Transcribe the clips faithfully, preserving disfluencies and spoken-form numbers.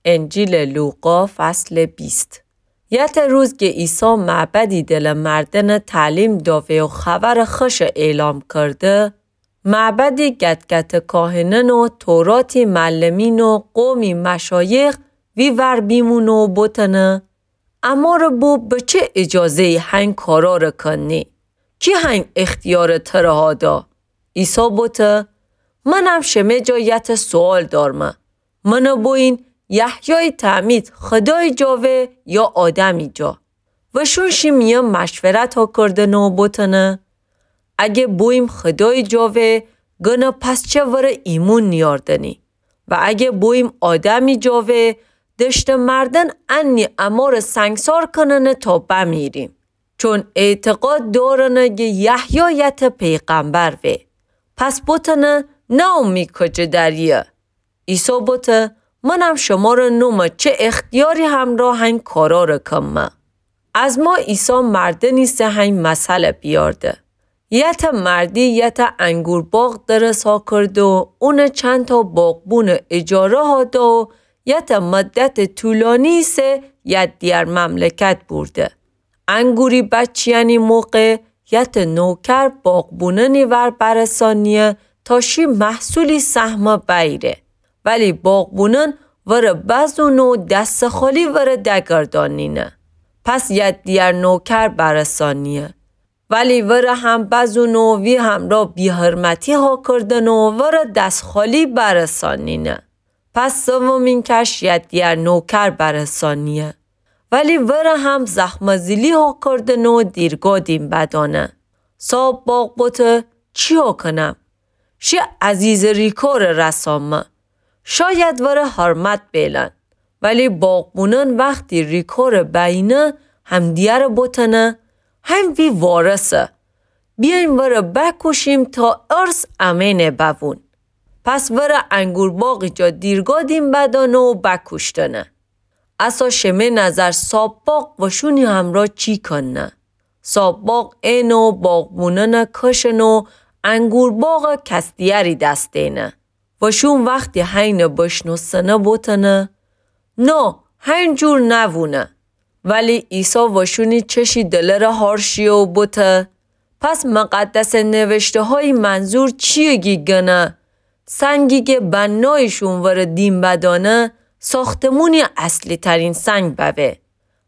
انجیلٚ لوقا، فصلٚ بیست. یتأ روز گه عیسی معبدی دلٚ مردنٚ تعلیم دأوه و خبرٚ خوشٚ اعلام کرده، معبدی گتگتٚ کاهنأن و توراتی معلمین و قومی مشایخ وی ور بیمونه و بوتنه: امأرٚ بو به چه اجازه‌یی هین کارأرٚ کنی؟ کی هین اختیارٚ تره هادا؟ عیسی بوته: منم شمه جا یتأ سوال دأرمه. منٚ بویین یحیایٚ تعمید خودایٚ جا وه یا آدمی جا؟ وشون شی میأن مشورت هاکردنه و بوتنه: اگه بوییم خودایٚ جا وه، گنه پس چه وره ایمون نیأردنی؟ و اگه بوییم آدمی جا وه، دشتٚ مردن انی امأرٚ سنگسار کننه تا بمیریم. چون اعتقاد دأرنه گه یحیی یتأ پیغمبر وه. پس بوتنه: نه، امی کجه دریه؟ عیسی بوته: منم شمره نومه چه اختیاری همرأ هین کارأرٚ کمه. از ما عیسی مردنی سه هین مثلٚ بیأرده: یتأ مردی یتأ انگور باغ درس هاکرده و اونٚ چندتأ باغبونٚ اجاره هاده و یتأ مدتٚ طولانی سه یدیگر مملکت بورده. انگوری بچیأنی موقع یتأ نوکر باغبونأنی ور برسانیه تا شی محصولی سهمه بیره. ولی باغبونأن وره بزونه و دستٚ خالی وره دگردانینه. پس یدیگر نوکر برسانیه. ولی وره هم بزونه و وی همرأ بی‌حرمتی هاکردنه و وره دست خالی برسانینه. پس سومین کش یدیگر نوکر برسانیه. ولی وره هم زخمه‌زیلی هاکردنه و دیرگا دیم بدانه. صاحب باغ بوته: چیا کنم؟ شی عزیزٚ ریکارٚ رسامه. شاید وره حرمت بیلن. ولی باغبونأن وختی ریکارٚ بینه، همدیگره بوتنه: هین وی وارثه. بیاین وره بکوشیم تا ارث امینه بوون. پس وره انگور باغی جا دیرگا دیم بدانه و بکوشتنه. اسا شمه نظر صاحب باغ وشونی همرأ چی کنه؟ صاحب باغ اینه و باغبونأنه کشنه و انگور باغه کس دیگری دس دینه. وشون وختی هینه بشنوستنه بوتنه: نه، هین جور نوونه. ولی عیسی وشونی چشی دلره هارشیه و بوته: پس مقدسٚ نوشته‌هایی منظور چیه گی گنه سنگی گه بنایشون وره دیم بدانه، ساختمونی اصلی‌ترین سنگ بوه.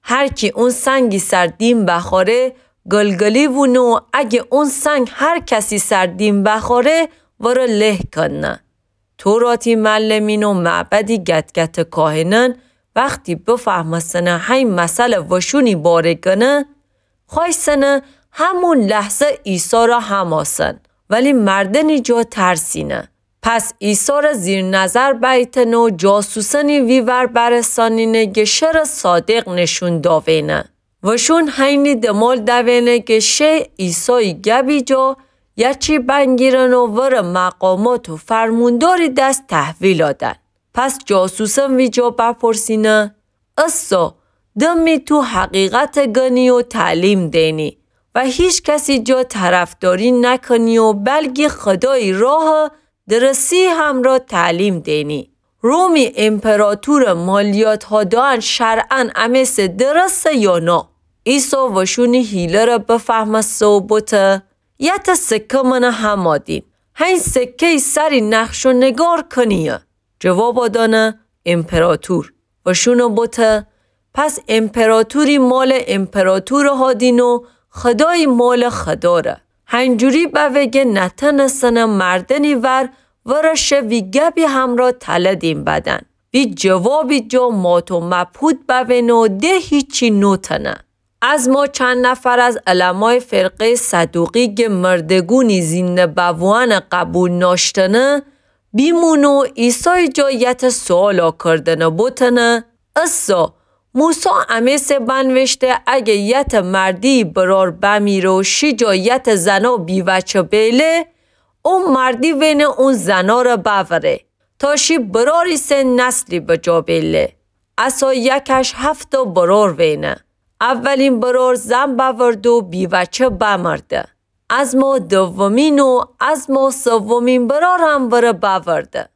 هر کی اون سنگی سر دیم بخواره، گلگلی وونه و اگه اون سنگ هر کسی سر دیم بخواره، وره له کنه. توراتی معلمین و معبدی گتگتٚ کاهنأن وختی بفهمستنه هین مثلٚ وشونی باره گنه، خوأیستنه همون لحظه عیسی را هماسن، ولی مردنی جا ترسینه. پس عیسی را زیر نظر بیتنه و جاسوسأنی وی ور برسانینه گه شرٚ صادق نشون داوینه. وشون هینی دمال دوینه گه شه عیسایٚ گبی جا یأ چی بنگیرن و وره مقامات و فرمونداری دس تحویل آدن. پس جاسوسأن وی جا بپرسینه: اسا، دمی تو حقیقت گنی و تعلیم دینی و هیچ کسی جا طرفداری نکنی و بلگی خدایی راه درسی همرا تعلیم دینی. رومی امپراتور مالیات هادان شرعاً امه سه درسه یا نا؟ عیسی وشونی حیله ره بفهمسته و بوته: یته سکه منه همادیم. هین سکه‌ی سری نقش و نگار کنیه. جواب دانه امپراتور. وشونه بوته: پس امپراتوری مال امپراتور هادین و خدایی مال خدا ره. هنجوری بوه گه نتنسنه مردنی ور ورشه وی گبی همرا تله دیم بدن. وی جوابی جا مات و مبهوت بوینه و ده هیچی نوتنه. از ما چند نفر از علمای فرقه‌ی صدوقی گه مردگونی زینده بووانه قبول ناشتنه، بیمونه و عیسای جا یته سؤالا کردنه بوتنه: اسا، موسی امه سه بنوشته اگه یته مردی برار بمیره و شی جا یته زنا بیوچه بیله، او مردی وینه اون زنا ره بوره تا شی براری سه نسلی بجا بیله. اسا یکش هفتا برار وینه. اولین برار زن بأورده و بیوچه بمرده. از ما دومین و از ما سومین برار هم وره بأورده.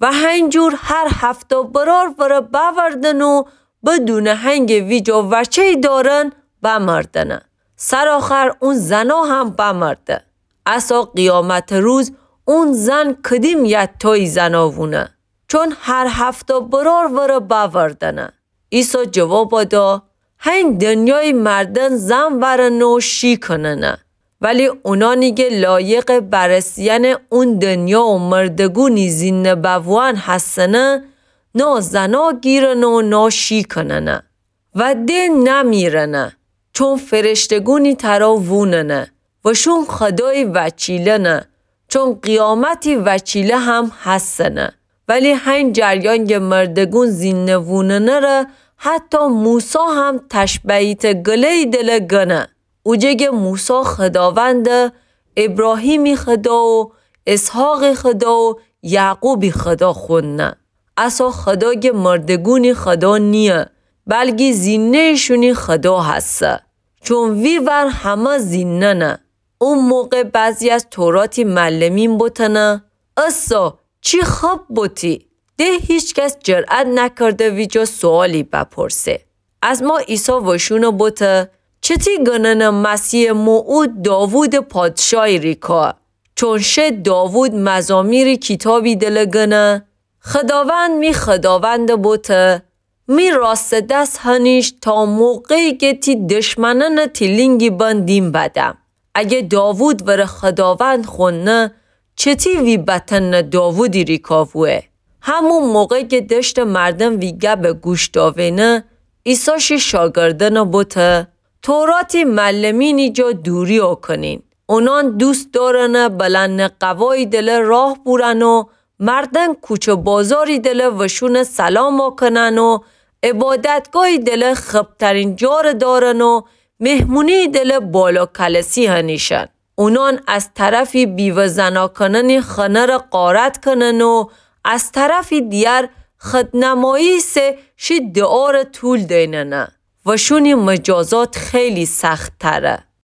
و هنجور هر هفتا برار وره بأوردن و بدونٚ هنگٚ ویجا وچه‌ی دارن بمردنه. سرآخر اون زنا هم بمرده. اسا قیامتٚ روز اون زن کدیم یتایی زنا وونه؟ چون هر هفتا برار وره بأوردنه. عیسی جواب دا، هنگ دنیایی مردن زن ورنه و شی کننه. ولی اونانی که لایقٚ برسیئنٚ اون دنیا و مردگونی زینده بووان هستنه، نا زنا گیرنه و نا شی کننه و ده نمیرنه، چون فرشتگونی ترا ووننه و شون خودایی وکیلنه، چون قیامتی وکیله هم هستنه. ولی هنگ جریان که مردگون زینده ووننه ره حتی موسی هم تشبهیتٚ گله‌یی دله گنه. اوجه که موسی خوداوندٚ ابراهیمی خودا و اسحاقی خودا و یعقوبی خودا خوننه. اسا خودا که مردگونی خودا نییه، بلکی زینده‌ییشونی خودا هسه. چون وی ور همه زینده‌نه. او موقع بعضی از توراتی معلمین بوتنه، اسا چی خب بوتی؟ ده هیچکس جرأت نکرده ویجا سؤالی بپرسه. ازما عیسی وشونه بوته، چتی گننه مسیحٚ موعود داوودٚ پادشایی ریکا؟ چون شه داوود مزامیری کیتابی دله گنه، خوداوند می خوداونده بوته، می راستٚ دس هنیش تا موقعی که تی دشمنأنه تی لینگی بن دیم بدم. اگه داوود وره خوداوند خوننه، چتی وی بتنه داوودی ریکا وویه؟ همون موقع که دشته مردم وی گبه گوش داوینه، عیسی شی شاگردأنه بوته، توراتی معلمینی جا دوری آکنین. اونان دوست دارنه بلندٚ قوایی دله راه بورن و مردن کوچه بازاری دله وشونه سلام آکنن و عبادتگاهی دله خبترین جاره دارن و مهمونی دله بالا کلسی هنیشن. اونان از طرفی بیوه زنا کننی خنه ره غارت کنن و از طرفی دیگر خودنمایی سه شی دعاره طول دیننه. وشونی مجازات خیلی سخت‌تره.